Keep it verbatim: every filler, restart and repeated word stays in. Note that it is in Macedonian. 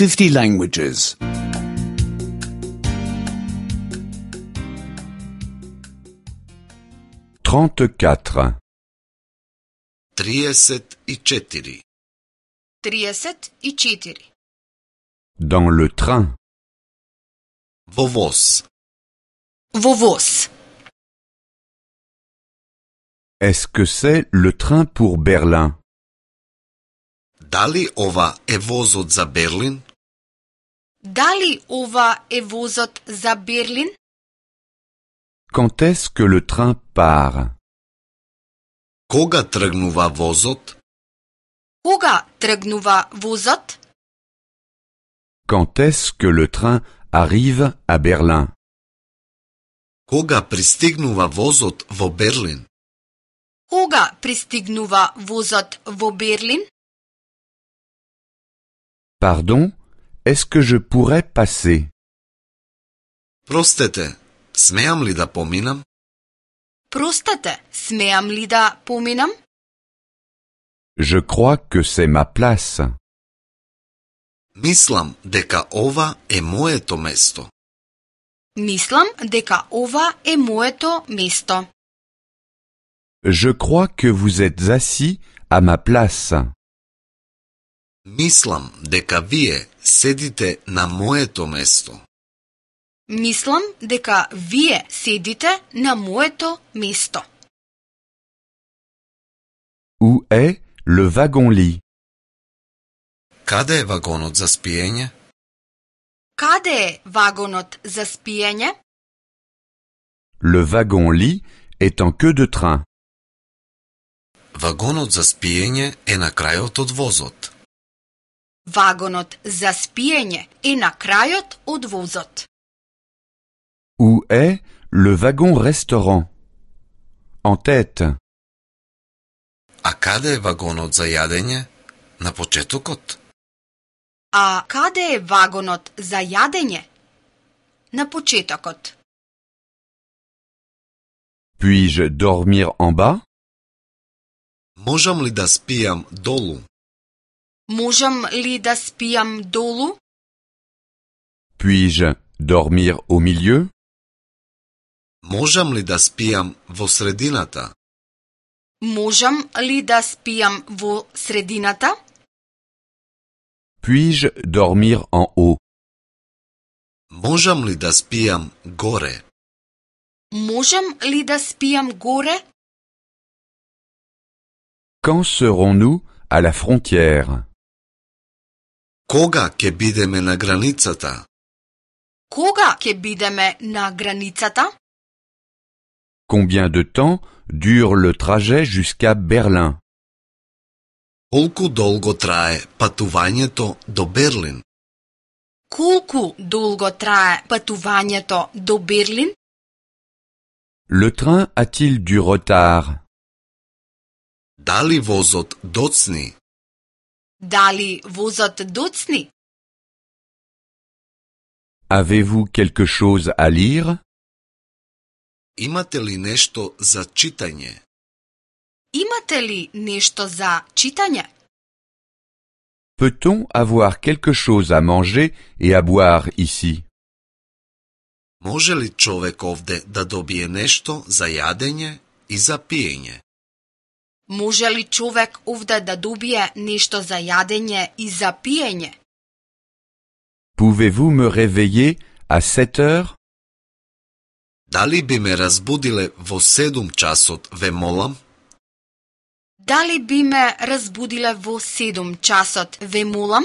fifty languages. trente-quatre. триесет и четири. тридесет и четири. Dans le train. Во воз. Во воз. Est-ce que c'est le train pour Berlin? Дали ова е возот за Берлин? Дали ова е возот за Берлин? Quand est-ce que le train part? Кога тргнува возот? Кога тргнува возот? Quand est-ce que le train arrive à Berlin? Кога пристигнува возот во Берлин? Кога пристигнува возот во Берлин? Pardon, est-ce que je pourrais passer? Простете, смеам ли да поминам? Простете, смеам ли да поминам? Je crois que c'est ma place. Мислам дека ова е моето место. Мислам дека ова е моето место. Je crois que vous êtes assis à ma place. Мислам дека вие седите на моето место. Мислам дека вие седите на моето место. Où est le wagon-lit? Каде е вагонот за спиење? Каде е вагонот за спиење? Le wagon-lit est en queue de train. Вагонот за спиење е на крајот од возот. Вагонот за спиење е на крајот од возот. Où est le wagon-restaurant? En tête. А каде е вагонот за јадење? На почетокот. А каде е вагонот за јадење? На почетокот. Puis-je dormir en bas? Можам ли да спијам долу? Можам ли да спијам долу? Puis-je dormir au milieu? Можам ли да спијам во средината? Можам ли да спијам во средината? Puis-je dormir en haut? Можам ли да спијам горе? Можам ли да спијам горе? Quand serons-nous à la frontière? Кога ќе бидеме на границата? Кога ќе бидеме на границата? Combien de temps dure le trajet jusqu'à Berlin? Колку долго трае патувањето до Берлин? Колку долго трае патувањето до Берлин? Le train a-t-il du retard? Дали возот доцни? Дали возот доцни? Avez-vous quelque chose à lire? Имате ли нешто за читање? Имате ли нешто за читање? Peut-on avoir quelque chose à manger et à boire ici? Може ли човек овде да добие нешто за јадење и за пиење? Може ли човек овде да добие нешто за јадење и за пиење? Pouvez-vous me réveiller à sept heures? Дали би ме разбудиле во седум часот, ве молам? Дали би ме разбудиле во седум часот, ве молам?